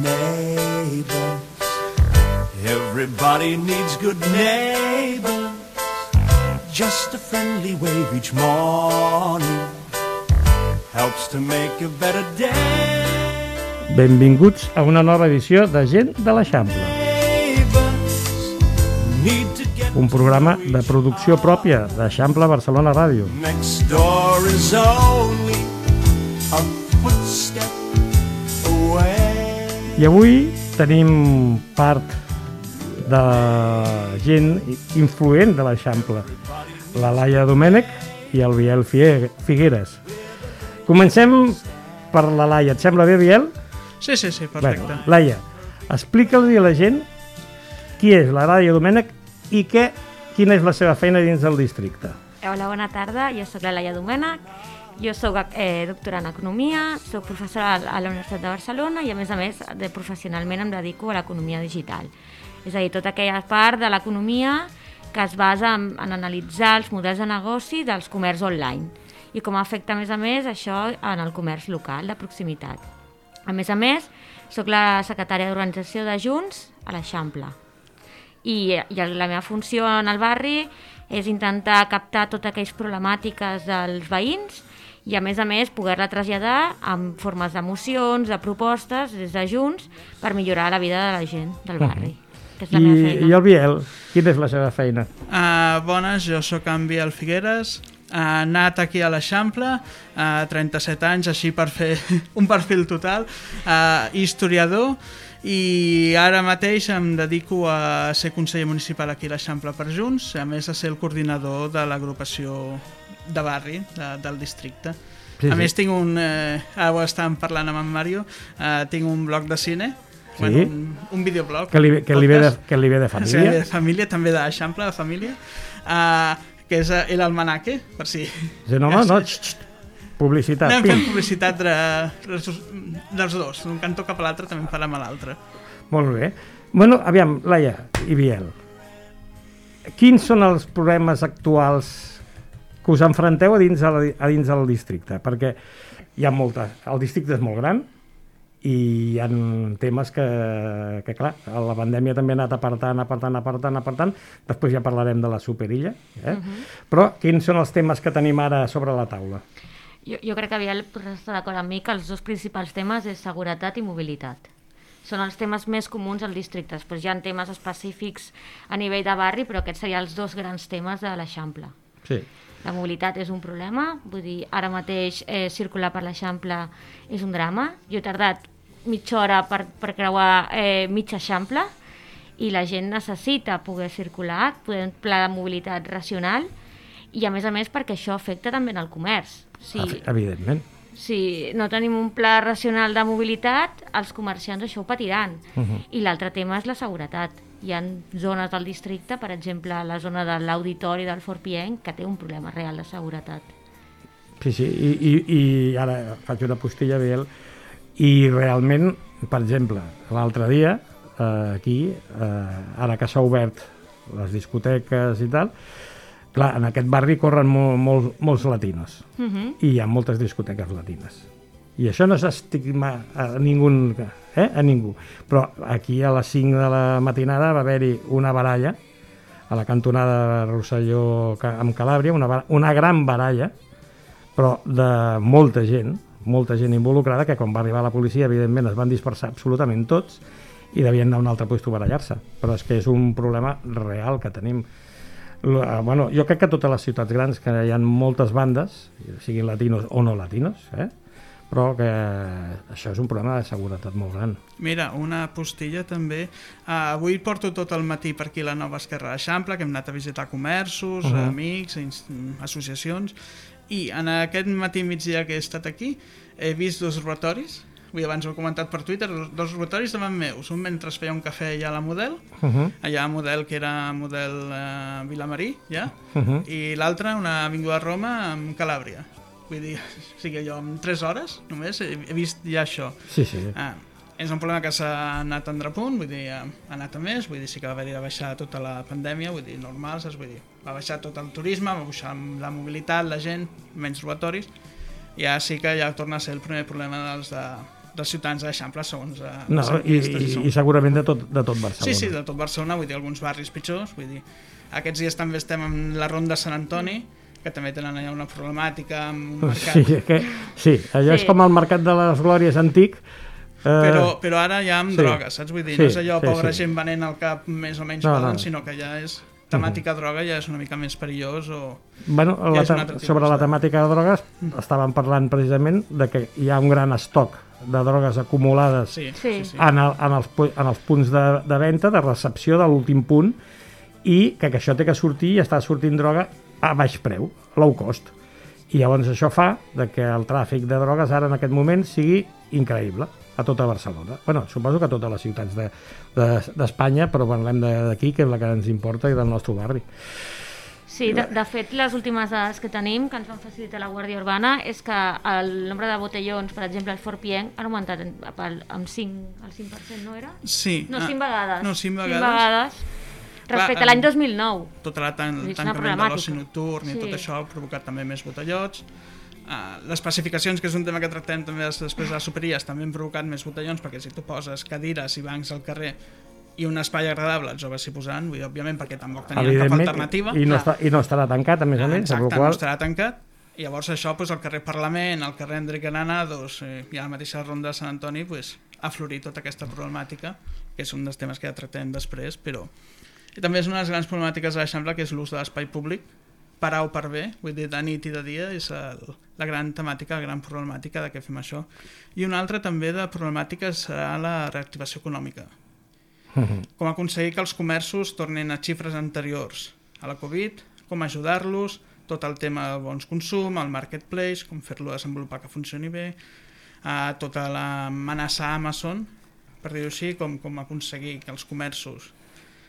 neighbors. Everybody needs good neighbors. Just a friendly wave each morning helps to make a better day. Benvinguts a una nova edició de Gent de l'Eixample. Un programa de producció pròpia d'Eixample Barcelona Ràdio. Next door is only a footstep away. I avui tenim part de gent influent de l'Eixample, la Laia Domènech i el Biel Figueres. Comencem per la Laia. Et sembla bé, Biel? Sí, perfecte. Bueno, Laia, explica'ls a la gent qui és la Laia Domènech i quina és la seva feina dins del districte. Hola, bona tarda. Jo sóc la Laia Domènech. Jo soc doctora en Economia, soc professora a la Universitat de Barcelona i, a més, professionalment em dedico a l'economia digital. És a dir, tota aquella part de l'economia que es basa en analitzar els models de negoci dels comerç online i com afecta, a més, això en el comerç local, de proximitat. A més, soc la secretària d'organització de Junts a l'Eixample. I la meva funció en el barri és intentar captar totes aquelles problemàtiques dels veïns i, a més, poder-la traslladar en formes de mocions, de propostes, des de Junts, per millorar la vida de la gent del barri. Que és la meva feina. I el Biel, quina és la seva feina? Bones, jo sóc en Biel Figueres, anat aquí a l'Eixample, 37 anys, així per fer un perfil total, historiador, i ara mateix em dedico a ser conseller municipal aquí a l'Eixample per Junts, a més a ser el coordinador de l'agrupació de barri del districte. Sí. A més tinc ara ho estàvem parlant amb en Mario, tinc un blog de cine, sí. Un videoblog. Que li ve de família. Sí, de família, també d'Eixample, de família, que és l'Almanaque, per si... Sí, no, publicitat. Anem fent publicitat dels dos, d'un cantó cap a l'altre també en farem a l'altre. Molt bé. Bueno, aviam, Laia i Biel, quins són els problemes actuals que us enfronteu a dins del districte? Perquè hi ha el districte és molt gran i hi ha temes que clar, la pandèmia també ha anat apartant, després ja parlarem de la superilla, Però quins són els temes que tenim ara sobre la taula? Jo crec que Biel està d'acord amb mi que els dos principals temes és seguretat i mobilitat. Són els temes més comuns al districte. Després hi ha temes específics a nivell de barri, però aquests serien els dos grans temes de l'Eixample. Sí. La mobilitat és un problema, vull dir, ara mateix circular per l'Eixample és un drama. Jo he tardat mitja hora per creuar mig Eixample i la gent necessita poder circular, poder un pla de mobilitat racional i, a més, perquè això afecta també en el comerç. Evidentment. Si no tenim un pla racional de mobilitat, els comerciants això ho patiran. I l'altre tema és la seguretat. Hi ha zones del districte, per exemple, la zona de l'Auditori del Fort Pienc, que té un problema real de seguretat. Sí, i ara faig una postilla, Biel, i realment, per exemple, l'altre dia, aquí, ara que s'ha obert les discoteques i tal, clar, en aquest barri corren molts latinos i hi ha moltes discoteques latines. I això no s'estigma a ningú, Però aquí a les 5 de la matinada va haver-hi una baralla a la cantonada de Rosselló amb Calàbria, una gran baralla, però de molta gent involucrada, que quan va arribar la policia, evidentment, es van dispersar absolutament tots i devien anar a un altre lloc a barallar-se. Però és que és un problema real que tenim. Bueno, jo crec que a totes les ciutats grans que hi ha moltes bandes, siguin latinos o no latinos, però que això és un problema de seguretat molt gran. Mira, una postilla també. Avui porto tot el matí per aquí la nova Esquerra d'Eixample, que hem anat a visitar comerços, amics, associacions, i en aquest matí migdia que he estat aquí he vist dos robatoris. Abans ho he comentat per Twitter, dos robatoris davant meus. Un mentre feia un cafè allà a la Model, allà a Model, que era Model Vilamarí, ja, i l'altre una avinguda de Roma amb Calàbria. Vull dir, o sigui, jo en 3 hores només he vist ja això. Sí. És un problema que s'ha anat a repunt, vull dir, ha anat a més, vull dir, sí que va haver de baixar tota la pandèmia, vull dir, normal, saps? Vull dir, va baixar tot el turisme, va baixar la mobilitat, la gent, menys robatoris, i ja sí que ja torna a ser el primer problema dels ciutadans de l'Eixample, segons No, les enquestes. i segurament de tot Barcelona. Sí, de tot Barcelona, vull dir, alguns barris pitjors, vull dir, aquests dies també estem en la Ronda Sant Antoni, que també tenen allà una problemàtica amb un mercat. Sí, allò és com el mercat de les Glòries antic, però ara ja amb drogues, saps? Vull dir, no és allò pobra gent venent al cap més o menys poden, sinó que ja és temàtica droga, ja és una mica més perillós o... Bueno, sobre la temàtica de drogues estàvem parlant precisament de que hi ha un gran estoc de drogues acumulades en els punts de venda, de recepció de l'últim punt, i que això té que sortir i està sortint droga a baix preu, low cost. I llavors això fa que el tràfic de drogues ara en aquest moment sigui increïble a tota Barcelona. Bueno, suposo que a totes les ciutats d'Espanya, però parlem d'aquí, que és la que ens importa, i del nostre barri. Sí, de fet, les últimes dades que tenim, que ens van facilitar la Guàrdia Urbana, és que el nombre de botellons, per exemple, al Fort Pienc, han augmentat amb 5%, no era? Sí. No, 5 vegades. No, 5 vegades. Respecte a l'any 2009. Tot el tancament de l'oci nocturn i tot això ha provocat també més botellots. Les pacificacions, que és un tema que tractem també després de les superilles, també han provocat més botellons, perquè si tu poses cadires i bancs al carrer i un espai agradable, els joves s'hi posaran, vull dir, òbviament, perquè tampoc tenien cap alternativa. I no estarà tancat, a més a més. Exacte, no estarà tancat. I llavors això, el carrer Parlament, el carrer Enric Granados i a la mateixa Ronda de Sant Antoni, ha florit tota aquesta problemàtica, que és un dels temes que ja tractem després, però... I també és una de les grans problemàtiques de l'Eixample, que és l'ús de l'espai públic, per A o per B, vull dir, de nit i de dia, és la gran temàtica, la gran problemàtica de què fem això. I una altra també de problemàtica serà la reactivació econòmica. Com aconseguir que els comerços tornin a xifres anteriors a la Covid, com ajudar-los, tot el tema del bons consum, el marketplace, com fer-lo desenvolupar que funcioni bé, tota l'amenaça Amazon, per dir-ho així, com aconseguir que els comerços...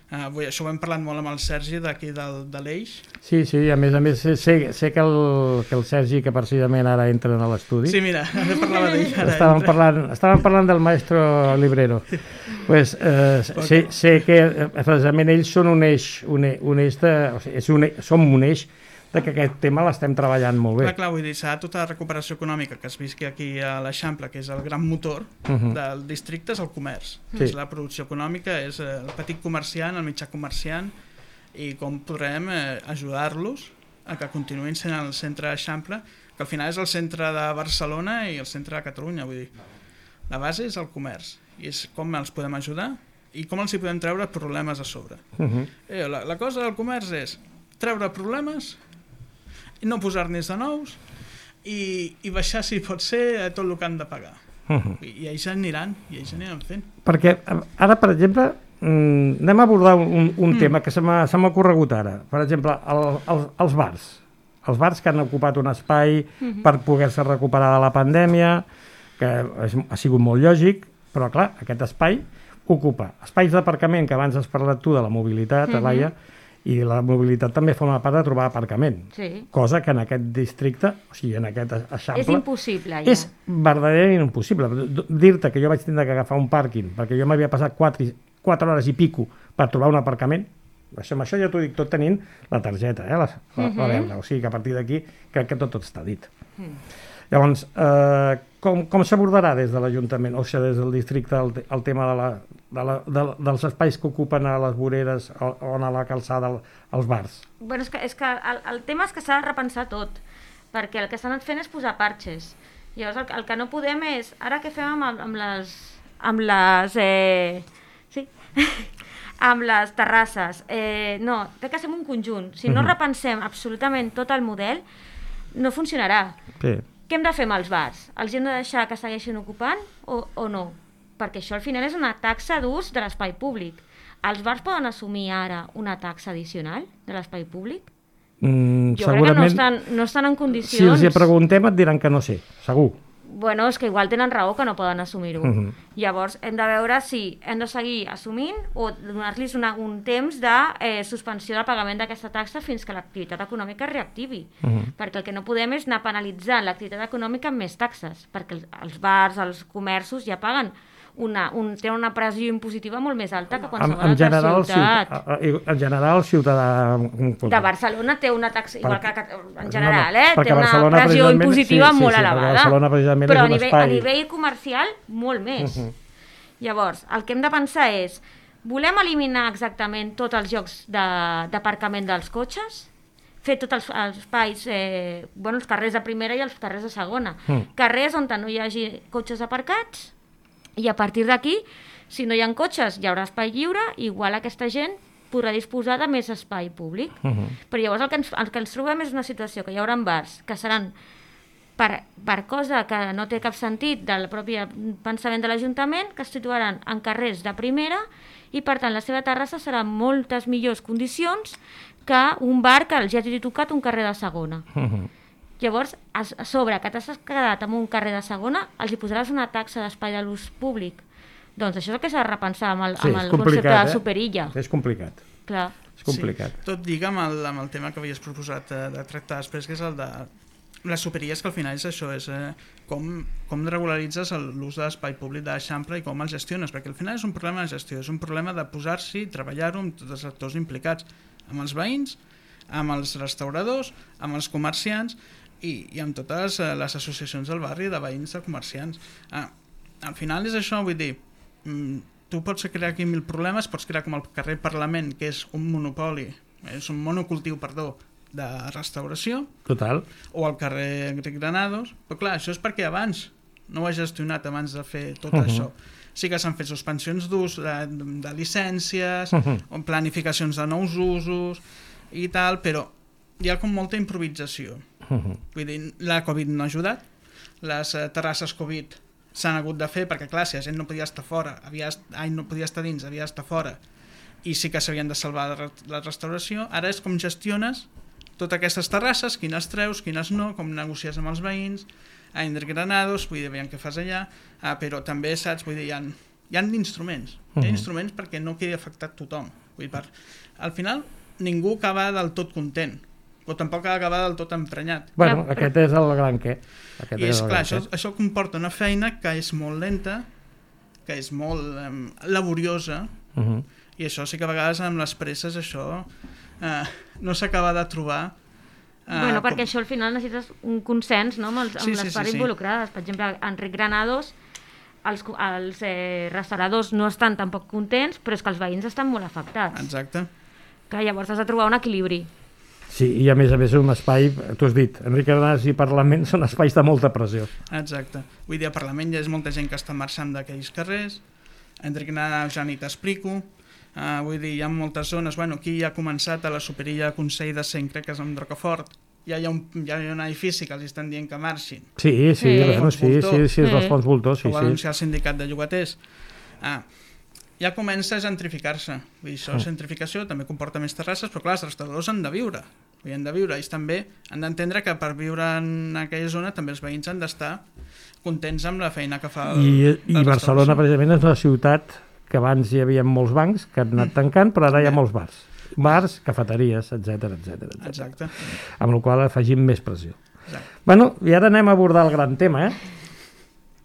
això ho hem parlat molt amb el Sergi d'aquí de l'Eix. Sí, a més sé que el Sergi, que precisament ara entra a l'estudi... Sí, mira, parlava d'ell ara. Estàvem parlant del maestro Librero. Pues, sé que precisament ells són un eix som un eix de que aquest tema l'estem treballant molt bé. Clar, vull dir, s'ha tota la recuperació econòmica que es visqui aquí a l'Eixample, que és el gran motor del districte, és el comerç. És la producció econòmica, és el petit comerciant, el mitjà comerciant, i com podrem ajudar-los a que continuïn sent el centre d'Eixample, que al final és el centre de Barcelona i el centre de Catalunya. Vull dir, la base és el comerç, i és com els podem ajudar i com els hi podem treure problemes a sobre. La cosa del comerç és treure problemes, no posar-n'hi de nous i baixar, si pot ser, tot el que han de pagar. I ells aniran fent. Perquè ara, per exemple, anem a abordar un tema que se m'ha ocorregut ara. Per exemple, els bars. Els bars que han ocupat un espai per poder-se recuperar de la pandèmia, que ha sigut molt lògic, però clar, aquest espai ocupa espais d'aparcament, que abans has parlat tu de la mobilitat, Laia, i la mobilitat també forma part de trobar aparcament, cosa que en aquest districte, o sigui, en aquest Eixample... És impossible, ja. És verdaderament impossible. Dir-te que jo vaig tindre que agafar un pàrquing, perquè jo m'havia passat 4 hores i pico per trobar un aparcament, això ja t'ho dic tot tenint la targeta, la verda, o sigui que a partir d'aquí crec que tot està dit. Llavors, com s'abordarà des de l'Ajuntament, o sigui, des del districte, el tema dels espais que ocupen a les voreres o a la calçada, als bars? Bueno, és que el tema és que s'ha de repensar tot, perquè el que s'ha anat fent és posar parxes. Llavors, el que no podem és... Ara què fem amb les terrasses? No, té que ser un conjunt. Si no repensem absolutament tot el model, no funcionarà. Sí. Què hem de fer amb els bars? Els hem de deixar que segueixin ocupant o no? Perquè això al final és una taxa d'ús de l'espai públic. Els bars poden assumir ara una taxa addicional de l'espai públic? Jo crec que no estan en condicions... Si els hi preguntem et diran que no sé, segur. Bueno, és que igual tenen raó que no poden assumir-ho. Llavors hem de veure si hem de seguir assumint o donar-los un temps de suspensió del pagament d'aquesta taxa fins que l'activitat econòmica es reactivi. Perquè el que no podem és anar penalitzant l'activitat econòmica amb més taxes, perquè els bars, els comerços ja paguen té una pressió impositiva molt més alta que qualsevol altra ciutat. En general, el ciutadà... De Barcelona té una taxa, igual que en general, té una Barcelona, pressió impositiva molt elevada. Barcelona, precisament, però és un espai... a nivell comercial, molt més. Llavors, el que hem de pensar és, volem eliminar exactament tots els llocs d'aparcament dels cotxes? Fer tots els espais, els carrers de primera i els carrers de segona. Carrers on no hi hagi cotxes aparcats, i a partir d'aquí, si no hi ha cotxes, hi haurà espai lliure, igual aquesta gent podrà disposar de més espai públic. Però llavors el que ens trobem és una situació que hi haurà bars que seran per cosa que no té cap sentit del propi pensament de l'Ajuntament, que es situaran en carrers de primera i, per tant, la seva terrassa serà en moltes millors condicions que un bar que ja hagi tocat un carrer de segona. Llavors, a sobre que t'has quedat en un carrer de segona, els hi posaràs una taxa d'espai de l'ús públic. Doncs això és el que s'ha de repensar amb el concepte de superilla. És complicat. Clar. És complicat. Sí. Tot lliga amb el tema que havies proposat de tractar després, que és el de les superilles, que al final és això, és com regularitzes l'ús de l'espai públic de l'Eixample i com el gestiones, perquè al final és un problema de gestió, és un problema de posar-s'hi i treballar-ho amb tots els actors implicats, amb els veïns, amb els restauradors, amb els comerciants i amb totes les associacions del barri de veïns de comerciants. Al final és això, vull dir, tu pots crear aquí 1000 problemes, pots crear com el carrer Parlament, que és un monopoli, és un monocultiu, perdó, de restauració. Total. O al carrer Enric Granados, però clar, això és perquè abans no ho he gestionat abans de fer tot això. Sí que s'han fet suspensions d'ús, de llicències, o planificacions de nous usos i tal, però hi ha com molta improvisació. Vull dir, la Covid no ha ajudat, les terrasses Covid s'han hagut de fer perquè, clar, si la gent no podia estar fora, no podia estar dins, havia d'estar fora, i sí que s'havien de salvar la restauració. Ara és com gestiones totes aquestes terrasses, quines treus, quines no, com negocies amb els veïns, a Enric Granados, vull dir, veiem què fas allà, però també, saps, vull dir, hi ha instruments, hi ha instruments perquè no quedi afectat tothom. Vull dir, al final, ningú acaba del tot content, però tampoc ha d'acabar del tot emprenyat. Bueno, aquest és el gran què. I és clar, això comporta una feina que és molt lenta, que és molt laboriosa, i això sí que a vegades amb les presses això no s'acaba de trobar. Perquè això al final necessites un consens, no? amb les parts involucrades. Per exemple, Enric Granados, els restauradors no estan tampoc contents, però és que els veïns estan molt afectats. Exacte. Que llavors has de trobar un equilibri. Sí, i a més és un espai, tu has dit, Enric Granados i Parlament són espais de molta pressió. Exacte. Vull dir, a Parlament hi ha molta gent que està marxant d'aquells carrers, Enric Granados ja ni t'explico. Vull dir, hi ha moltes zones, aquí ja ha començat a la superilla Consell de Cent, crec que és amb Rocafort, ja hi ha un edifici que els estan dient que marxin. Sí, és dels fons voltors, sí. Ho va anunciar el sindicat de llogaters. Ja comença a gentrificar-se. Vull dir, això, gentrificació també comporta més terrasses, però clar, els restauradors han de viure. Ells també han d'entendre que per viure en aquella zona també els veïns han d'estar contents amb la feina que fa I Barcelona, precisament, és una ciutat que abans hi havia molts bancs que han anat tancant, però ara hi ha molts bars, cafeteries, etc. Exacte. Amb la qual cosa afegim més pressió. Bueno, i ara anem a abordar el gran tema,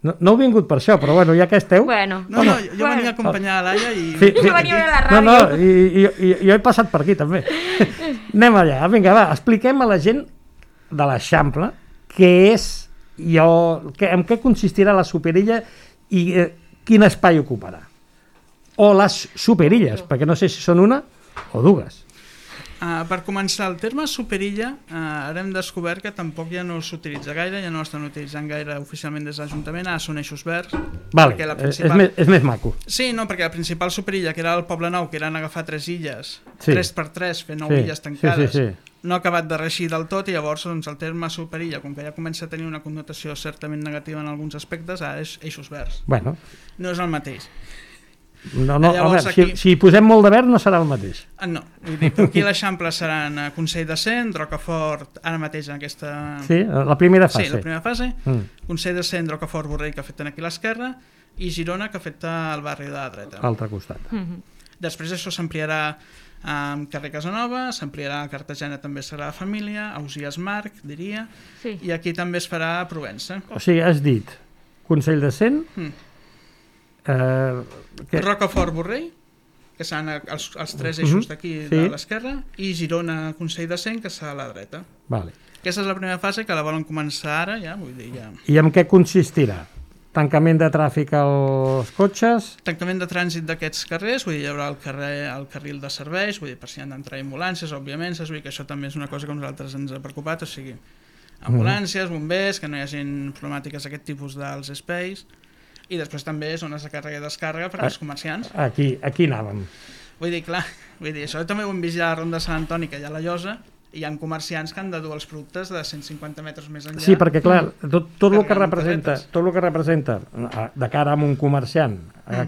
No heu vingut per això, però ja que esteu... Jo venia a acompanyar a Laia i... Jo venia a la ràdio. I jo he passat per aquí també. Anem allà, vinga, va, expliquem a la gent de l'Eixample què és, en què consistirà la superilla i quin espai ocuparà. O les superilles, perquè no sé si són una o dues. Per començar, el terme superilla ara hem descobert que tampoc ja no s'utilitza gaire, ja no l'estan utilitzant gaire oficialment des de l'Ajuntament, ara són eixos verds. Vale, és més maco. Sí, no, perquè la principal superilla, que era el Poble Nou, que eren agafar 3 illes, 3x3, fer 9 illes tancades, no ha acabat de reeixir del tot, i llavors el terme superilla, com que ja comença a tenir una connotació certament negativa en alguns aspectes, ara és eixos verds. No és el mateix. Llavors, si posem molt de verd no serà el mateix. No, vull dir, aquí a l'Eixample seran Consell de Cent, Rocafort, ara mateix en aquesta... Sí, la primera fase. Sí, la primera fase. Consell de Cent, Rocafort, Borrell, que afecten aquí a l'esquerra, i Girona, que afecta el barri de la dreta. A l'altre costat. Després això s'ampliarà a carrer Casanova, s'ampliarà a Cartagena, també serà a Família, a Ausiàs Marc, diria, i aquí també es farà a Provença. O sigui, has dit Consell de Cent, Rocafort Borrell, que seran els tres eixos d'aquí de l'esquerra, i Girona Consell de Cent, que serà a la dreta. Vale. Aquesta és la primera fase, que la volen començar ara, ja, vull dir, ja. I en què consistirà? Tancament de tràfic als cotxes? Tancament de trànsit d'aquests carrers, vull dir, hi haurà el carril de serveis, vull dir, per si han d'entrar ambulàncies, òbviament, vull dir que això també és una cosa que a nosaltres ens ha preocupat, o sigui, ambulàncies, bombers, que no hi hagi problemàtiques d'aquest tipus dels espais, i després també zones de càrrega i descàrrega per als comerciants. Aquí anàvem. Vull dir, clar, això també ho hem vist ja a la Ronda de Sant Antoni, que hi ha la Llosa, i hi ha comerciants que han de dur els productes de 150 metres més enllà. Sí, perquè clar, tot el que representa de cara a un comerciant,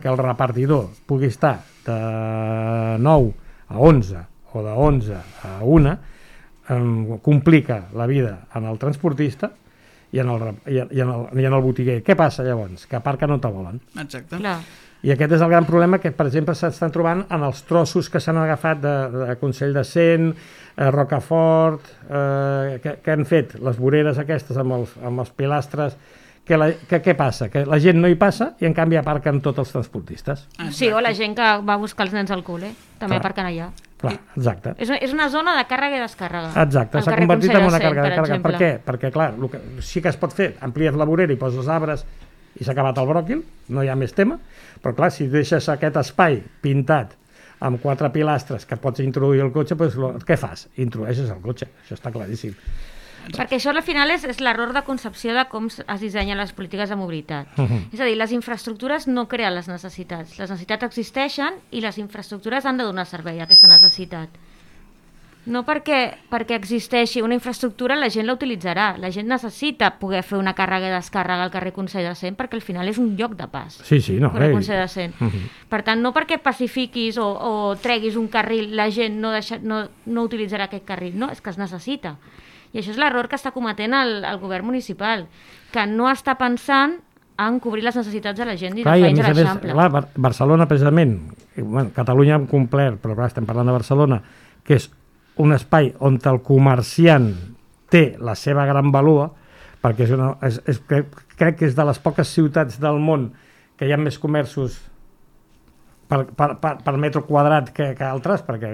que el repartidor pugui estar de 9 a 11 o de 11 a 1, complica la vida en el transportista i en el botiguer. Què passa llavors? Que aparca no te volen. Exacte. Clar. I aquest és el gran problema que, per exemple, s'estan trobant en els trossos que s'han agafat de Consell de Cent, Rocafort, que han fet les voreres aquestes amb els pilastres. Què passa? Que la gent no hi passa i en canvi aparquen tots els transportistes. Sí, o la gent que va a buscar els nens al col·le, també aparquen allà. Clar, exacte. És una zona de càrrega i descàrrega. Exacte, s'ha convertit en una càrrega de càrrega. Per què? Perquè, clar, sí que es pot fer, amplies la vorera i poses arbres i s'ha acabat el bròquil, no hi ha més tema, però clar, si deixes aquest espai pintat amb 4 pilastres que pots introduir el cotxe, doncs què fas? Introdueixes el cotxe, això està claríssim. Perquè això al final és l'error de concepció de com es dissenyen les polítiques de mobilitat. És a dir, les infraestructures no creen les necessitats. Les necessitats existeixen i les infraestructures han de donar servei a aquesta necessitat. No perquè existeixi una infraestructura la gent la utilitzarà. La gent necessita poder fer una càrrega i descàrrega al carrer Consell de Cent perquè al final és un lloc de pas. Sí, no. El Consell de Cent. Per tant, no perquè pacifiquis o treguis un carril la gent no utilitzarà aquest carril. No, és que es necessita. I això és l'error que està cometent el govern municipal, que no està pensant en cobrir les necessitats de la gent i de veïns a l'Eixample. Clar, Barcelona precisament, Catalunya hem complert, però clar, estem parlant de Barcelona, que és un espai on el comerciant té la seva gran valua, perquè crec que és de les poques ciutats del món que hi ha més comerços per metre quadrat que altres, perquè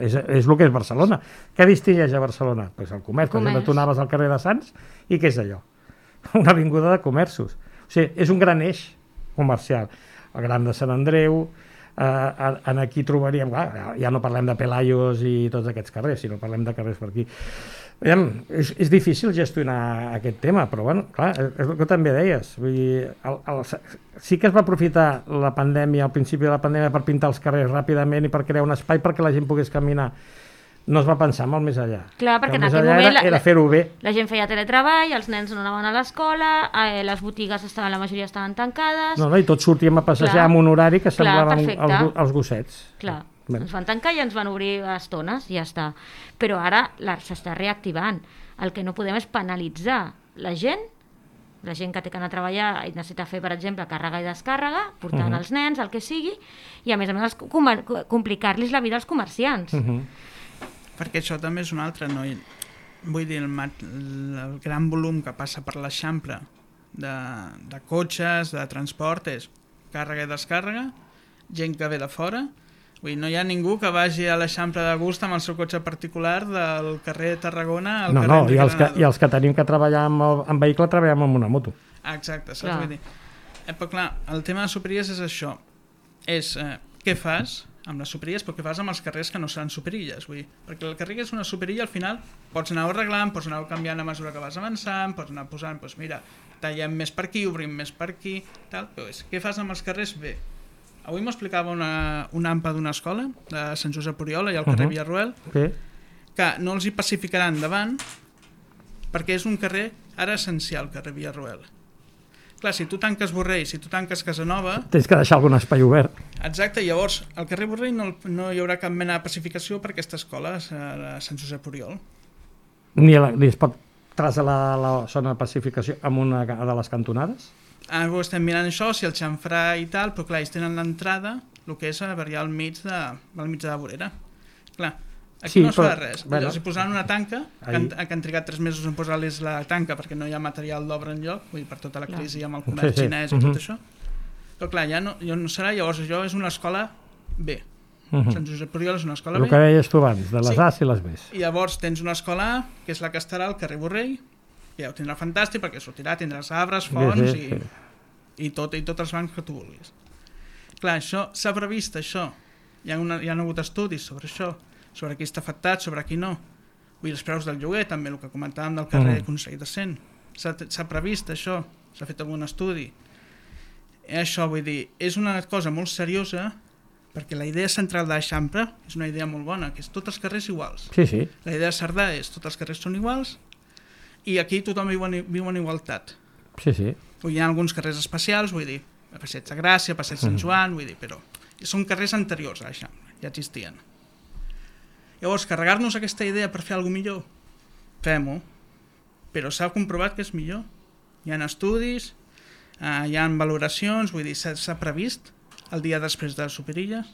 és el que és Barcelona. Què distingeix a Barcelona? Pues el comerç. Per exemple, tu anaves al carrer de Sants i què és allò? Una avinguda de comerços. O sigui, és un gran eix comercial. El Gran de Sant Andreu, aquí trobaríem, ja no parlem de Pelayos i tots aquests carrers, sinó parlem de carrers per aquí. És difícil gestionar aquest tema, però bueno, clar, és el que també deies. Vull dir, sí que es va aprofitar la pandèmia, al principi de la pandèmia, per pintar els carrers ràpidament i per crear un espai perquè la gent pogués caminar. No es va pensar molt més enllà. Clar, perquè en aquell moment era fer-ho bé. La gent feia teletreball, els nens no anaven a l'escola, les botigues la majoria estaven tancades... No, i tots sortíem a passejar amb un horari que semblaven els gossets. Clar, ens van tancar i ens van obrir a estones i ja està. Però ara s'està reactivant. El que no podem és penalitzar la gent que té que anar a treballar i necessita fer, per exemple, càrrega i descàrrega, portant els nens, el que sigui, i a més complicar-los la vida als comerciants. Perquè això també és un altre, no? Vull dir, el gran volum que passa per l'Eixample de cotxes, de transport, és càrrega i descàrrega, gent que ve de fora. Vull dir, no hi ha ningú que vagi a l'Eixample de gust amb el seu cotxe particular del carrer Tarragona al carrer Enric Granado. I els que tenim que treballar amb vehicle treballem amb una moto. Exacte, saps? Vull dir, però clar, el tema de superilles és això. És què fas amb les superilles, però què fas amb els carrers que no seran superilles? Vull dir, perquè el carrer que és una superilla, al final pots anar arreglant, pots anar canviant a mesura que vas avançant, pots anar posant, doncs mira, tallem més per aquí, obrim més per aquí, tal. Però què fas amb els carrers? Bé, avui m'explicava una AMPA d'una escola, de Sant Josep Oriola i al carrer Villarroel, que no els hi pacificaran davant perquè és un carrer ara essencial, carrer Villarroel. Clar, si tu tanques Borrell, si tu tanques Casanova... Tens que deixar algun espai obert. Exacte, llavors al carrer Borrell no hi haurà cap mena de pacificació per aquesta escola a Sant Josep Oriol. Ni es pot traslladar la zona de pacificació amb una de les cantonades? Ara estem mirant això, si el xamfrà i tal, però clar, ells tenen l'entrada, el que és a allà al mig de la vorera. Clar, aquí no es fa res. Bueno, els hi posaran una tanca, que han trigat 3 mesos en posar-los la tanca perquè no hi ha material d'obra enlloc, vull dir, per tota la crisi amb el comerç xinès i tot això. Però clar, ja no serà, llavors això és una escola B. Sant Josep Oriol és una escola El B. que deies tu abans, de les Sí. A's i les B's. I llavors tens una escola A, que és la que estarà al carrer Borrell, que ja ho tindrà fantàstic perquè sortirà, tindràs arbres, fonts i tots els bancs que tu vulguis. Clar, això s'ha previst, això. Hi ha hagut estudis sobre això, sobre qui està afectat, sobre qui no. Vull dir, els preus del lloguer, també el que comentàvem del carrer Consell de Cent. S'ha previst això, s'ha fet algun estudi. Això, vull dir, és una cosa molt seriosa perquè la idea central de l'Eixample és una idea molt bona, que és tots els carrers iguals. Sí. La idea de Cerdà és tots els carrers són iguals i aquí tothom viu en igualtat. Sí. Hi ha alguns carrers especials, vull dir, Passeig de Gràcia, Passeig Sant Joan, vull dir, però són carrers anteriors a l'Eixample, ja existien. Llavors, carregar-nos aquesta idea per fer alguna millor, fem-ho, però s'ha comprovat que és millor. Hi ha estudis, hi ha valoracions, vull dir, s'ha previst el dia després de les superilles.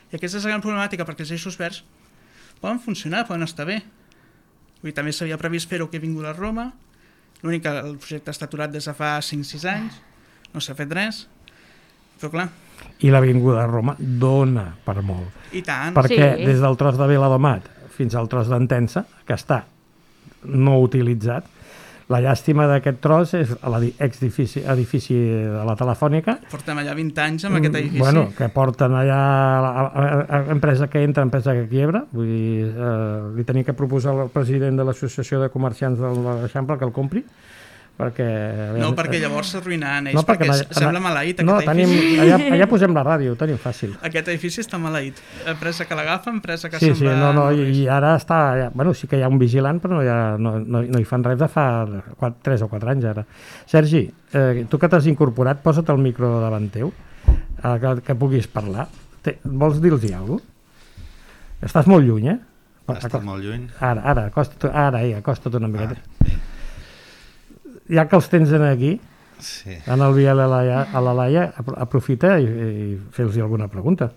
I aquesta és la gran problemàtica, perquè els eixos verds poden funcionar, poden estar bé. Vull dir, també s'havia previst fer-ho que he vingut a Roma, l'únic que el projecte està aturat des de fa 5-6 anys, no s'ha fet res, però clar... I l'Avinguda de Roma dona per molt. I tant. Perquè des del tros de Viladomat fins al tros d'Entença, que està no utilitzat, la llàstima d'aquest tros és l'exedifici de la Telefònica. Portem allà 20 anys amb aquest edifici. Bueno, que porten allà empresa que entra, empresa que quiebra. Vull dir, li tenia que proposar al president de l'Associació de Comerciants de l'Eixample que el compri, perquè... No, perquè llavors s'arruïnaran ells, perquè sembla maleït aquest edifici. Allà posem la ràdio, ho tenim fàcil. Aquest edifici està maleït. Empresa que l'agafa, empresa que se'n va... I ara està... Bueno, sí que hi ha un vigilant, però no hi fan res de fa 3 o 4 anys ara. Sergi, tu que t'has incorporat, posa't el micro davant teu, que puguis parlar. Vols dir-los alguna cosa? Estàs molt lluny, Estàs molt lluny. Ara, acosta't una miqueta. Ja que els tens aquí, en el Biel a la Laia, aprofita i fes-los alguna pregunta.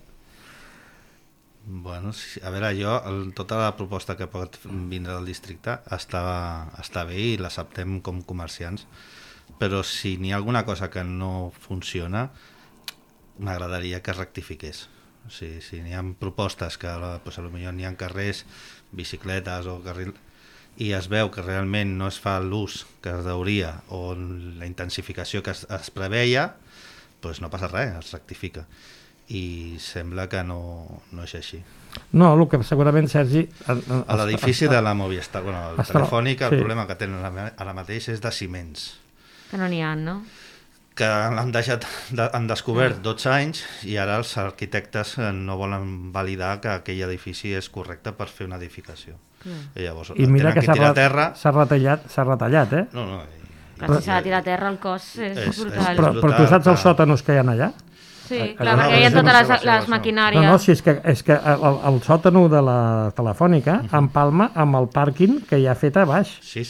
Bueno, a veure, tota la proposta que pot vindre del districte està bé i l'acceptem com comerciants, però si n'hi ha alguna cosa que no funciona, m'agradaria que es rectifiqués. O sigui, si n'hi ha propostes que potser n'hi ha carrers, bicicletes o carrils, i es veu que realment no es fa l'ús que es deuria o la intensificació que es preveia, doncs no passa res, es rectifica. I sembla que no és així. No, el que segurament, Sergi... A l'edifici de la Movistar, la Telefònica, el problema que tenen ara mateix és de ciments. Que no n'hi ha, no? Que han descobert 12 anys i ara els arquitectes no volen validar que aquell edifici és correcte per fer una edificació. I llavors i mira que s'ha retallat, eh? No. Clar, si s'ha de tirar a terra el cos és brutal. Però tu saps els sòtanos que hi ha allà? Sí, clar, perquè hi ha totes les maquinàries. No, és que el sòtano de la Telefònica empalma amb el pàrquing que hi ha fet a baix. Sí.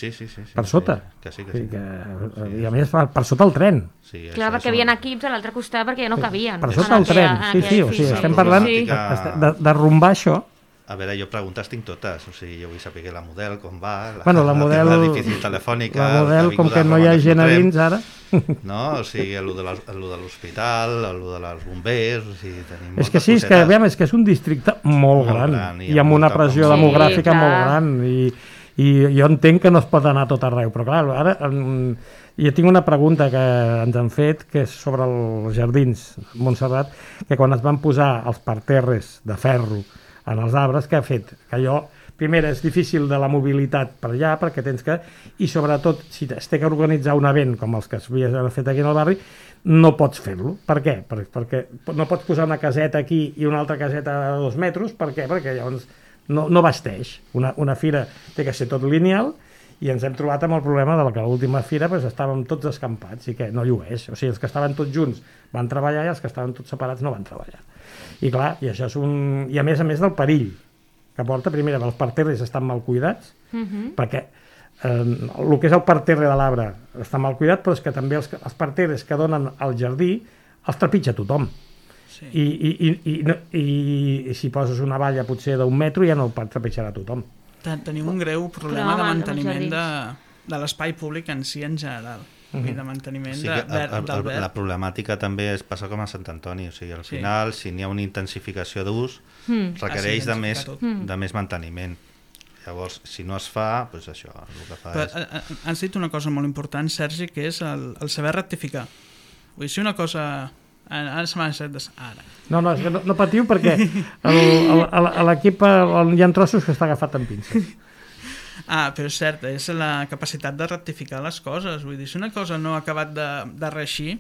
Per sota. Sí. I a més per sota el tren. Clar, perquè hi havia equips a l'altre costat perquè ja no cabien. Per sota el tren, sí, o sigui, estem parlant d'arrumbar això. A veure, jo preguntes tinc totes, o sigui, jo vull saber la Model, com va, la Model, l'edifici Telefònica... La Model, com que no hi ha gent a dins ara... No, o sigui, el de l'hospital, el de les bombers... O sigui, tenim és que sí, és que és un districte molt gran i amb una pressió demogràfica molt gran i jo entenc que no es pot anar a tot arreu, però clar, ara jo tinc una pregunta que ens han fet, que és sobre els jardins Montserrat, que quan es van posar els parterres de ferro en els arbres, que ha fet que allò, primer, és difícil de la mobilitat per allà, perquè tens que, i sobretot, si es té que organitzar un event com els que s'havia fet aquí en el barri, no pots fer-lo. Per què? Perquè no pots posar una caseta aquí i una altra caseta a 2 metres, per què? Perquè llavors no vesteix. Una fira té que ser tot lineal, i ens hem trobat amb el problema de que a l'última fira estàvem tots escampats i que no llueix. O sigui, els que estaven tots junts van treballar i els que estaven tots separats no van treballar. I clar, i això és i a més del perill que porta, primer, els parterres estan mal cuidats, perquè el que és el parterre de l'arbre està mal cuidat, però és que també els parterres que donen al jardí els trepitja tothom. I si poses una valla potser d'1 metre ja no el trepitjarà tothom. Tenim un greu problema de manteniment de l'espai públic en si en general. de manteniment Sí, del verd. la problemàtica també passa com a Sant Antoni, o sigui, al final, si n'hi ha una intensificació d'ús, requereix de més manteniment. Llavors, si no es fa, doncs això, el que fa és... Has dit una cosa molt important, Sergi, que és el saber rectificar. Vull dir, si una cosa... Ara se m'ha deixat ara. No, és que no patiu perquè a l'equip hi ha trossos que està agafat amb pinces. Però és cert, és la capacitat de rectificar les coses. Vull dir, si una cosa no ha acabat de reeixir,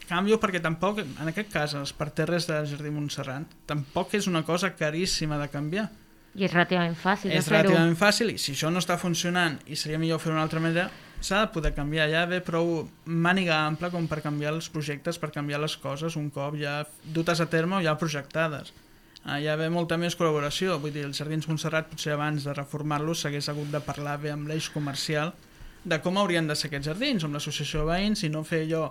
canvio, perquè tampoc, en aquest cas, els parterres del Jardí Montserrat, tampoc és una cosa caríssima de canviar. I és relativament fàcil de fer-ho. És relativament fàcil, i si això no està funcionant i seria millor fer d'una altra manera, s'ha de poder canviar. Ja ve prou màniga ampla com per canviar els projectes, per canviar les coses un cop ja dutes a terme o ja projectades. Ja ve molta més col·laboració. Vull dir, els Jardins Montserrat, potser abans de reformar-los, s'hagués hagut de parlar bé amb l'eix comercial de com haurien de ser aquests jardins, amb l'associació de veïns, i no fer allò...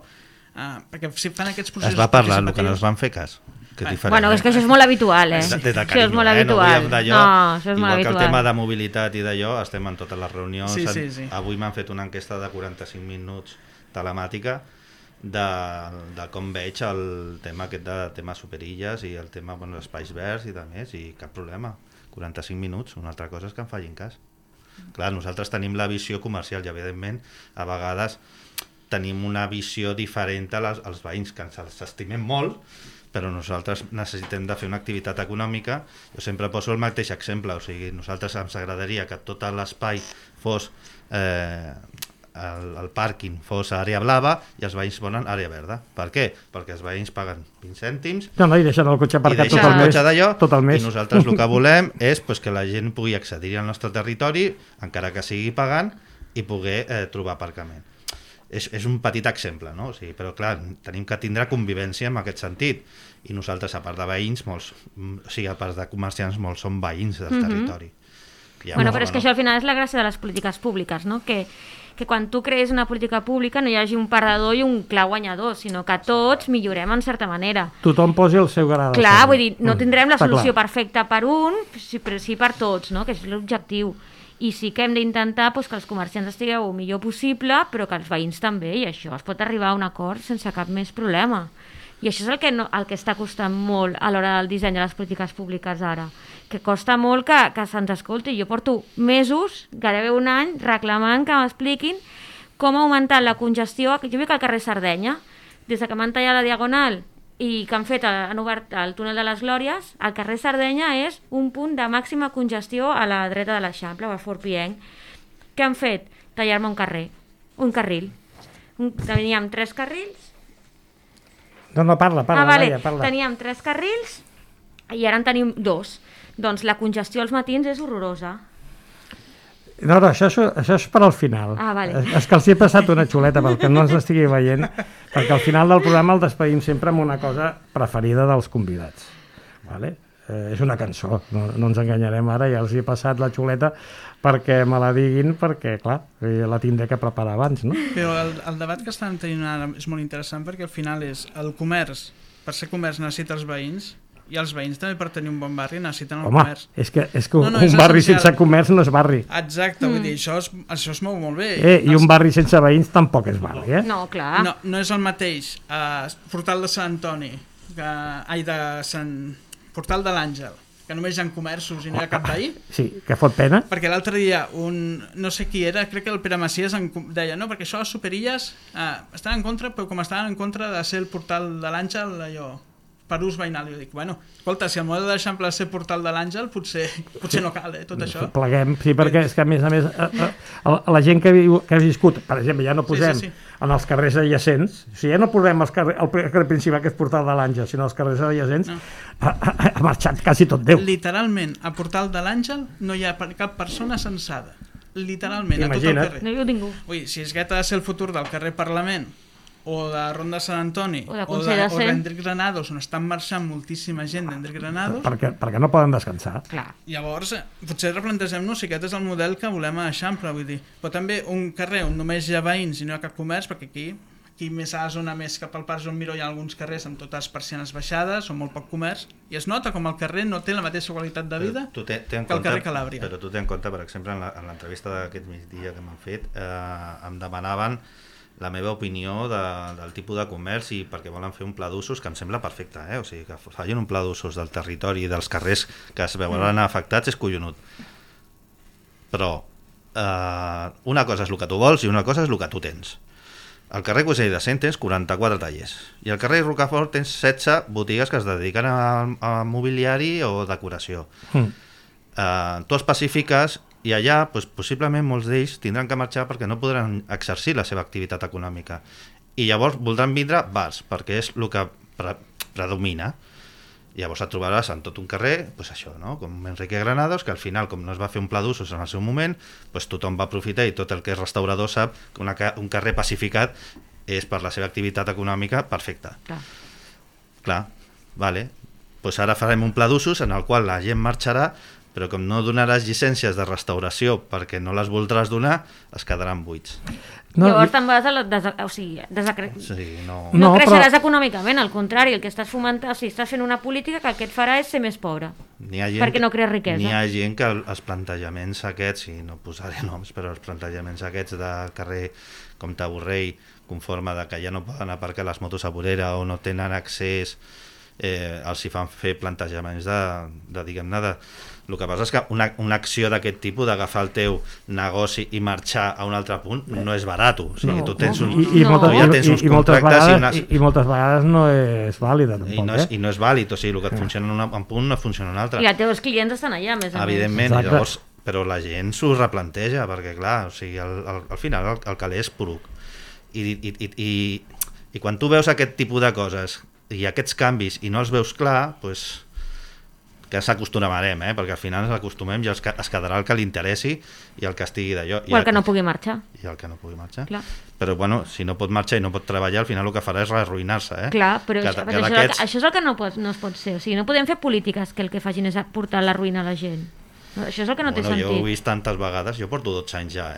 perquè si fan aquests processos... Es va parlar, el que no es van fer cas. Bueno, és que això és molt habitual, De carinyo, això és molt habitual. No, això és molt igual habitual. que el tema de mobilitat i d'allò, estem en totes les reunions. Sí. Avui m'han fet una enquesta de 45 minuts telemàtica de com veig el tema aquest de temes superilles i el tema, bueno, espais verds i de més, i cap problema. 45 minuts, una altra cosa és que em facin cas. Clar, nosaltres tenim la visió comercial i, evidentment, a vegades tenim una visió diferent als veïns, que ens estimem molt, però nosaltres necessitem de fer una activitat econòmica. Jo sempre poso el mateix exemple, o sigui, nosaltres ens agradaria que tot l'espai fos el pàrquing fos àrea blava i els veïns volen àrea verda. Per què? Perquè els veïns paguen 20 cèntims i deixen el cotxe aparcat tot el mes, i nosaltres el que volem és que la gent pugui accedir al nostre territori, encara que sigui pagant, i poder trobar aparcament. És un petit exemple, no? O sigui, però clar, tenim que tindre convivència en aquest sentit, i nosaltres, a part de veïns, a part de comerciants, molts són veïns del territori. Bueno, però és que això al final és la gràcia de les polítiques públiques, no? Que quan tu crees una política pública no hi hagi un perdedor i un clar guanyador, sinó que tots millorem en certa manera. Tothom posi el seu gra de sal. Clar, vull dir, no tindrem la solució perfecta per un, però sí per tots, no? Que és l'objectiu. I sí que hem d'intentar que els comerciants estigueu el millor possible, però que els veïns també, i això es pot arribar a un acord sense cap més problema. I això és el que està costant molt a l'hora del disseny de les polítiques públiques ara, que costa molt que se'ns escolti. Jo porto mesos, gairebé un any, reclamant que m'expliquin com ha augmentat la congestió. Jo vic al carrer Sardenya, des que m'han tallat la Diagonal i que han obert el túnel de les Glòries, el carrer Sardenya és un punt de màxima congestió a la dreta de l'Eixample, o a Fort Pienc. Què han fet? Tallar-me un carril. Teníem 3 carrils. No, parla. Teníem 3 carrils i ara en tenim 2. Doncs la congestió als matins és horrorosa. No, això és per al final. Vale. És que els hi he passat una xuleta perquè no ens estigui veient, perquè al final del programa el despedim sempre amb una cosa preferida dels convidats. Vale? És una cançó, no ens enganyarem ara, ja els hi he passat la xuleta perquè me la diguin, perquè clar, la tindré que preparar abans, no? Però el debat que estan tenint ara és molt interessant, perquè al final és el comerç, per ser comerç necessita els veïns, i els veïns també, per tenir un bon barri, necessiten el comerç. És que un barri sense comerç no és barri. Exacte, vull dir, això es mou molt bé. I un barri sense veïns tampoc és barri, eh? No, clar. No és el mateix Portal de Sant Antoni, Portal de l'Àngel, que només hi ha comerços i no hi ha cap veí. Sí, que fot pena. Perquè l'altre dia, no sé qui era, crec que el Pere Macias deia, no, perquè això les superilles estan en contra, però com estaven en contra de ser el Portal de l'Àngel, allò, per ús veïnal. Jo dic, bueno, escolta, si el model de l'Eixample és ser Portal de l'Àngel, potser no cal, tot això. Pleguem, sí, perquè és que a més la gent que ha viscut, per exemple, ja no posem en els carrers adjacents, o sigui, ja no posem el carrer principal, que és Portal de l'Àngel, sinó els carrers adjacents, ha marxat quasi tot Déu. Literalment, a Portal de l'Àngel no hi ha cap persona censada. Literalment, a tot el carrer. No hi ha ningú. Ui, si és aquest ha de ser el futur del carrer Parlament, o de Ronda Sant Antoni, o d'Enric Granados, on estan marxant moltíssima gent d'Enric Granados, perquè no poden descansar. Clar. Llavors, potser replantegem-nos si aquest és el model que volem a Eixample, vull dir. Però també un carrer on només hi ha veïns i no hi ha cap comerç, perquè aquí més a la zona més cap al Parc Joan Miró hi ha alguns carrers amb totes persianes baixades o molt poc comerç, i es nota com el carrer no té la mateixa qualitat de vida que el carrer Calàbria. Però tu té en compte, per exemple, en l'entrevista d'aquest migdia que m'han fet, em demanaven la meva opinió del tipus de comerç i perquè volen fer un pla d'usos que em sembla perfecte, o sigui, que facin un pla d'usos del territori i dels carrers que es veuran afectats és collonut. Però una cosa és el que tu vols i una cosa és el que tu tens. Al carrer Cuixell de Cent tens 44 tallers i al carrer Rocafort tens 16 botigues que es dediquen a mobiliari o decoració. Tu especifiques i allà possiblement molts d'ells tindran que marxar perquè no podran exercir la seva activitat econòmica i llavors voldran vindre bars perquè és el que predomina. Llavors et trobaràs en tot un carrer, això, no? Com Enrique Granados, que al final, com no es va fer un pla d'usos en el seu moment, tothom va aprofitar i tot el que és restaurador sap que un carrer pacificat és per la seva activitat econòmica perfecta. Clar, vale. Ara farem un pla d'usos en el qual la gent marxarà, però com no donaràs llicències de restauració perquè no les voldràs donar, es quedaran buits. Llavors te'n vas a no creixeràs econòmicament, al contrari, el que estàs fomentant, estàs fent una política que el que et farà és ser més pobre, perquè no crees riquesa. N'hi ha gent que els plantejaments aquests, i no posaré noms, però els plantejaments aquests de carrer Comte Borrell, conforme de que ja no poden aparcar les motos a vorera o no tenen accés, els hi fan fer plantejaments de diguem-ne, el que passa és que una acció d'aquest tipus, d'agafar el teu negoci i marxar a un altre punt, no és barat. O sigui, tu tens uns contractes i moltes vegades no és vàlida tampoc. I no és vàlid, o sigui, el que et funciona en un punt no funciona en un altre. I els teus clients estan allà, més a més. Evidentment, llavors, però la gent s'ho replanteja, perquè clar, o sigui, al final el caler és poruc. I quan tu veus aquest tipus de coses i aquests canvis i no els veus clar, doncs que s'acostumarem, perquè al final ens acostumem i es quedarà el que li interessi i el que estigui d'allò. O el que no pugui marxar. I el que no pugui marxar. Clar. Però bueno, si no pot marxar i no pot treballar, al final el que farà és arruïnar-se. Clar, però això és el que no es pot ser. O sigui, no podem fer polítiques que el que facin és portar la ruïna a la gent. Això és el que no té sentit. Jo ho he vist tantes vegades, jo porto 12 anys ja,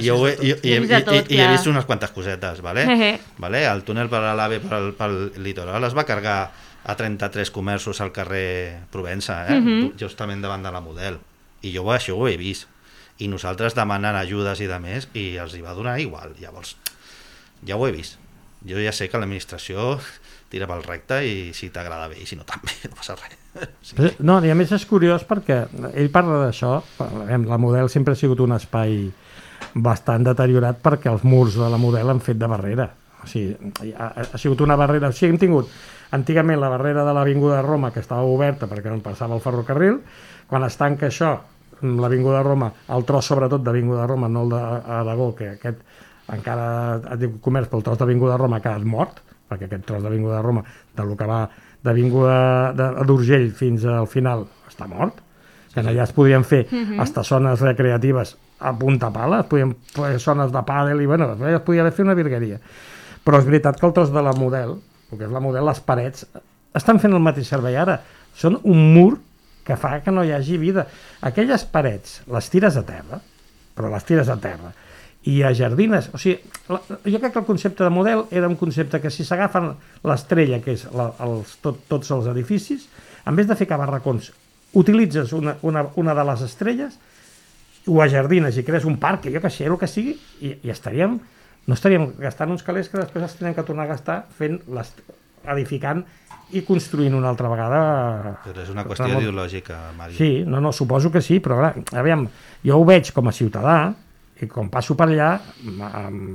i he vist unes quantes cosetes, vale? El túnel per a l'AVE pel litoral es va cargar a 33 comerços al carrer Provença, justament davant de la Model, i jo això ho he vist, i nosaltres demanant ajudes i de més, i els hi va donar igual. Llavors ja ho he vist, jo ja sé que l'administració tira pel recte i si t'agrada bé i si no també, no passa res. Sí. No, i a més és curiós perquè ell parla d'això, la Model sempre ha sigut un espai bastant deteriorat perquè els murs de la Model han fet de barrera, o sigui, ha sigut una barrera, o sigui, hem tingut antigament la barrera de l'Avinguda de Roma, que estava oberta perquè no passava el ferrocarril. Quan es tanca això, l'Avinguda de Roma, el tros sobretot d'Avinguda de Roma, no el d'Aragó, que aquest encara ha tingut comerç, però el tros d'Avinguda de Roma ha quedat mort, perquè aquest tros d'Avinguda de Roma, del que va d'Avinguda d'Urgell fins al final, està mort. Que allà es podien fer hasta zones recreatives a punta pala, es podien fer zones de pàdel i bueno, es podia fer una virgueria. Però és veritat que el tros de la Model, el que és la Model, les parets, estan fent el mateix servei ara. Són un mur que fa que no hi hagi vida. Aquelles parets les tires a terra, però les tires a terra, i a jardines. O sigui, jo crec que el concepte de Model era un concepte que si s'agafen l'estrella, que és tots els edificis, en vez de ficar barracons, utilitzes una de les estrelles, ho ajardines i crees un parc, jo que sé, el que sigui, i estaríem... No estaríem gastant uns calés que després els tenen que tornar a gastar edificant i construint una altra vegada... Però és una qüestió ideològica, Mari. Sí, no, suposo que sí, però aviam, jo ho veig com a ciutadà i quan passo per allà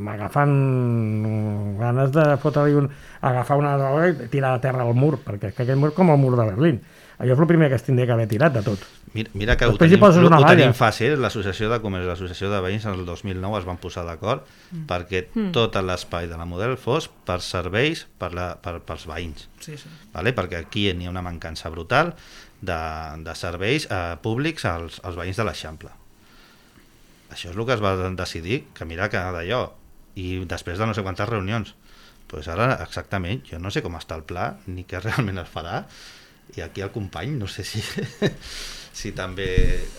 m'agafen ganes de fotre-li agafar una droga i tirar a terra al mur, perquè aquest mur com el mur de Berlín. Allò és el primer que es tindria que haver tirat de tot. Mira que ho tenim fàcil, l'Associació de Comerç i l'Associació de Veïns en el 2009 es van posar d'acord perquè tot l'espai de la Model fos per serveis pels veïns. Sí. Vale? Perquè aquí n'hi ha una mancança brutal de serveis públics als veïns de l'Eixample. Això és el que es va decidir, que mira que d'allò, i després de no sé quantes reunions. Pues ara exactament, jo no sé com està el pla, ni què realment es farà, i aquí el company, no sé si també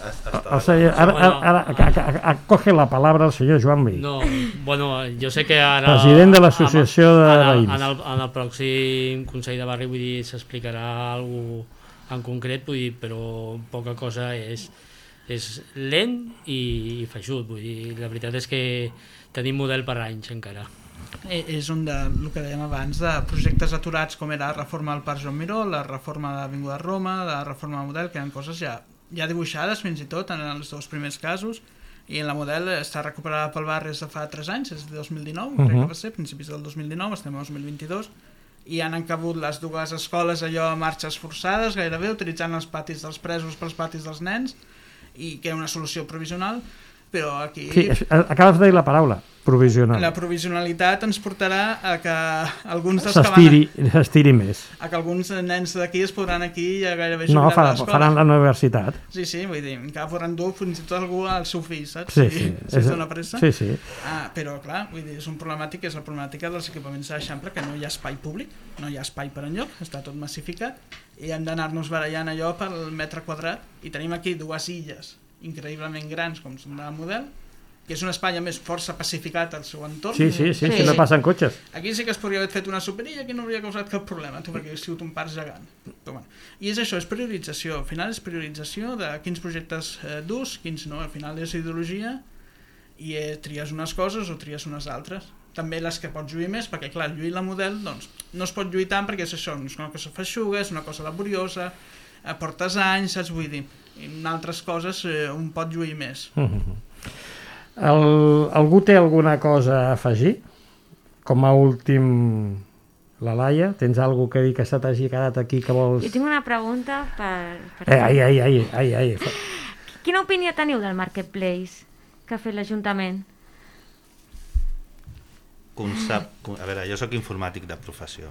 està... O sigui, ara coge la palabra el senyor Joan Vell. No, bueno, jo sé que ara... President de l'Associació de Veïns. En el pròxim Consell de Barri, vull dir, s'explicarà alguna cosa en concret, vull dir, però poca cosa és lent i feixut, vull dir, la veritat és que tenim model per anys encara. És un del que dèiem abans, de projectes aturats com era la reforma del Parc Joan Miró, la reforma de l'Avinguda Roma, la reforma del model, que eren coses ja dibuixades fins i tot en els dos primers casos, i en la model està recuperada pel barri des de fa 3 anys, és de 2019, crec que va ser, principis del 2019, estem a 2022, i han encabut les dues escoles allò a marxes forçades, gairebé, utilitzant els patis dels presos pels patis dels nens, i que era una solució provisional, però aquí... Sí, acabes de dir la paraula, provisional. La provisionalitat ens portarà a que alguns dels que s'estiri més. A que alguns nens d'aquí es podran aquí ja gairebé jubilar a l'escola. No, faran la universitat. Sí, vull dir, encara podran dur fins i tot algú al seu fill, saps? Sí. Si es dona pressa. Sí. Però, clar, vull dir, és un problemàtic, és la problemàtica dels equipaments de l'Eixample, que no hi ha espai públic, no hi ha espai per enlloc, està tot massificat, i hem d'anar-nos barallant allò pel metre quadrat, i tenim aquí 2 illes increïblement grans, com són del model, que és un espai a més força pacificat al seu entorn. Sí, no passen cotxes. Aquí sí que es podria haver fet una superilla, aquí no hauria causat cap problema, perquè hauria sigut un parc gegant. Però, bueno. I és això, és priorització. Al final és priorització de quins projectes d'ús, quins no. Al final és ideologia i tries unes coses o tries unes altres. També les que pots lluir més, perquè clar, lluir la model doncs, no es pot lluir tant perquè és això, és una cosa feixuga, és una cosa laboriosa, portes anys, saps? Vull dir, en altres coses un pot lluir més. Algú té alguna cosa a afegir? Com a últim, la Laia, tens alguna que dir que se t'hagi quedat aquí que vols... Jo tinc una pregunta per... Ai. Quina opinió teniu del Marketplace que ha fet l'Ajuntament? A veure, jo sóc informàtic de professió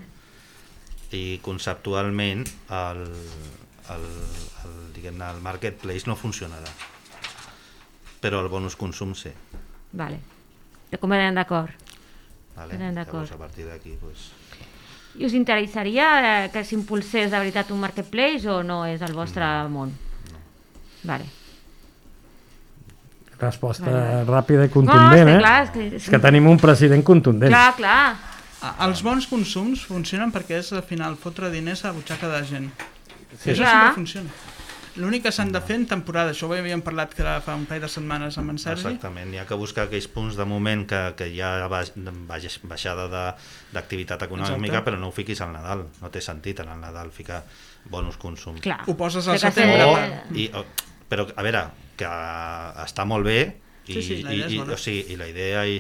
i conceptualment el Marketplace no funcionarà, però el bonus consum sí. Vale, com eren d'acord. Llavors a partir d'aquí I us interessaria que s'impulsés de veritat un Marketplace o no és el vostre món? No. Vale. Resposta ràpida i contundent, És que tenim un president contundent. Clar. Els bons consums funcionen perquè és al final fotre diners a la butxaca de la gent. Sí. Això sempre funciona. L'únic que s'han de fer en temporada, això ho havíem parlat fa un parell de setmanes amb en Sergi. Exactament, hi ha que buscar aquells punts de moment que hi ha baixada d'activitat econòmica. Exacte. Però no ho fiquis al Nadal, no té sentit en el Nadal ficar bonus consum. Clar. Ho poses al setembre. Però a veure, que està molt bé i la idea i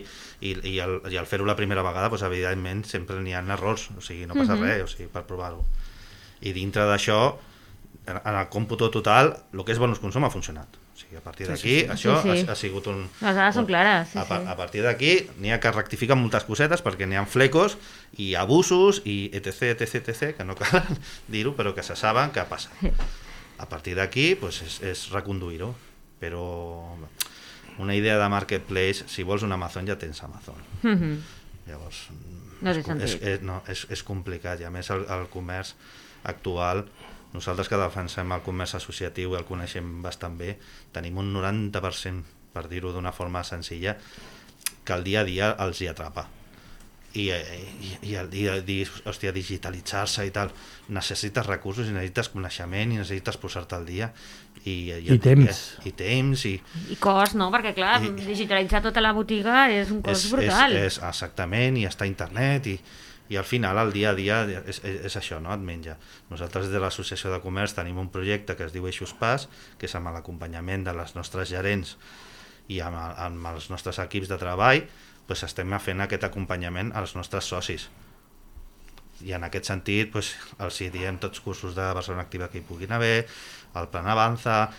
el fer-ho la primera vegada, doncs, evidentment sempre n'hi ha errors, o sigui, no passa res, o sigui, per provar-ho. I dintre d'això, en el còmputo total, el que és bonus consum ha funcionat. O sigui, a partir d'aquí, això ha sigut un... Les dades són clares, A partir d'aquí n'hi ha que rectificar moltes cosetes perquè n'hi ha flecos i abusos i etc, que no cal dir-ho, però que se saben que passa. A partir d'aquí és reconduir-ho, però una idea de Marketplace, si vols un Amazon ja tens Amazon. Llavors és complicat, i a més el comerç actual, nosaltres que defensem el comerç associatiu i el coneixem bastant bé, tenim un 90%, per dir-ho d'una forma senzilla, que el dia a dia els hi atrapa. I el dia a dia, hòstia, digitalitzar-se i tal, necessites recursos i necessites coneixement i necessites posar-te al dia i temps i cost, no? Perquè clar, digitalitzar tota la botiga és un cost brutal. Exactament, i està a internet i al final el dia a dia és això, no? Et menja. Nosaltres des de l'Associació de Comerç tenim un projecte que es diu Eixos Pas, que és amb l'acompanyament de les nostres gerents i amb els nostres equips de treball, doncs estem fent aquest acompanyament als nostres socis. I en aquest sentit els diem tots cursos de Barcelona Activa que hi puguin haver, el Plan Avanza,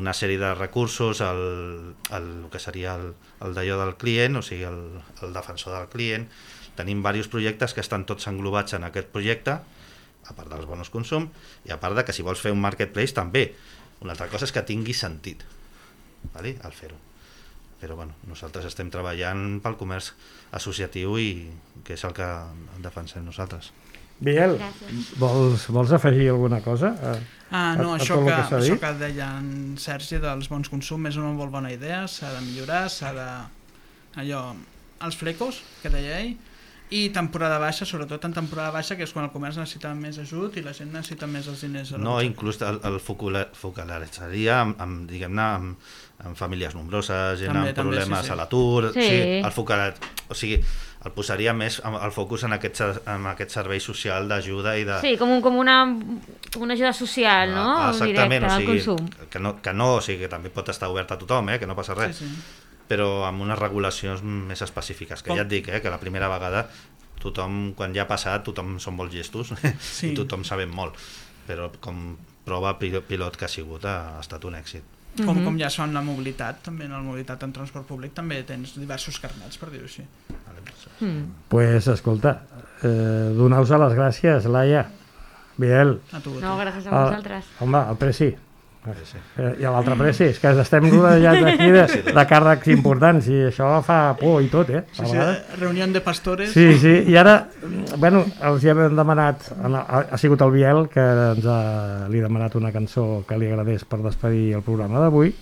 una sèrie de recursos, el que seria el d'allò del client, o sigui, el defensor del client. Tenim diversos projectes que estan tots englobats en aquest projecte, a part dels bonus consum, i a part de que si vols fer un marketplace també. Una altra cosa és que tingui sentit, al fer-ho. Però nosaltres estem treballant pel comerç associatiu i que és el que defensem nosaltres. Biel, vols afegir alguna cosa? No, això que deia en Sergi dels bons consum és una molt bona idea, s'ha de millorar, els flecos, que deia ell, i temporada baixa, sobretot en temporada baixa, que és quan el comerç necessita més ajut i la gent necessita més els diners. No, inclús el focalitzaria diguem-ne, amb famílies nombroses, gent amb problemes a l'atur, el posaria més el focus en aquest servei social d'ajuda i de... Sí, com una ajuda social, no? Exactament, directa al consum. O sigui, que també pot estar obert a tothom, que no passa res, però amb unes regulacions més específiques, que ja et dic, que la primera vegada tothom, quan ja ha passat, tothom són molt gestos i tothom sabem molt, però com prova pilot que ha sigut ha estat un èxit. Com ja són la mobilitat, també en la mobilitat en transport públic també tens diversos carnets, per dir-ho així. Pues escolta, donar-vos les gràcies, Laia, Biel. No, gràcies a vosaltres. Home, el Preci. I l'altre Preci, és que estem rodejats aquí de càrrecs importants i això fa por i tot, Sí, reunió de pastores. Sí, i ara, bueno, els hi hem demanat, ha sigut el Biel que li ha demanat una cançó que li agradés per despedir el programa d'avui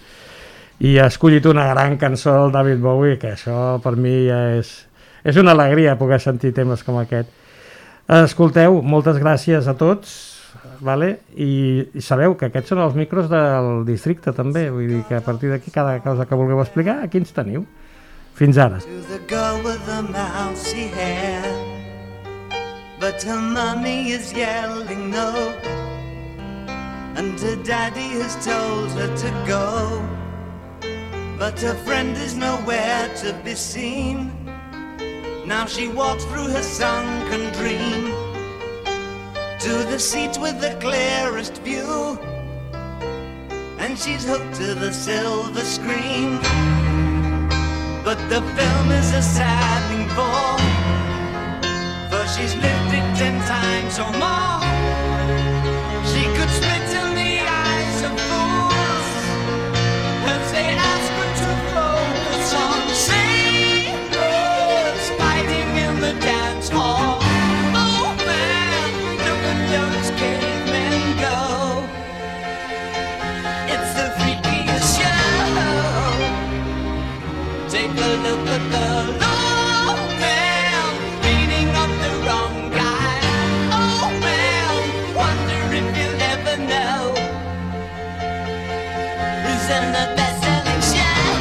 i ha escollit una gran cançó del David Bowie, que això per mi ja és una alegria poder sentir temes com aquest. Escolteu, moltes gràcies a tots, vale? I sabeu que aquests són els micros del districte també, vull dir que a partir d'aquí cada cosa que vulgueu explicar, aquí ens teniu. Fins ara. To the girl with the mousy hair, but her mommy is yelling no, and her daddy has told her to go, but her friend is nowhere to be seen. Now she walks through her sunken dream to the seat with the clearest view, and she's hooked to the silver screen. But the film is a saddening bore, for she's lived it 10 times or more. She could spit in the eyes of fools as they ask her to focus on sailors fighting in the dance hall. Oh man, look at those cavemen go. It's the freakiest show. Take a look at the low man beating up the wrong guy. Oh man, wonder if you'll ever know who's in the best-selling show.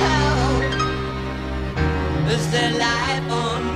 Is there life on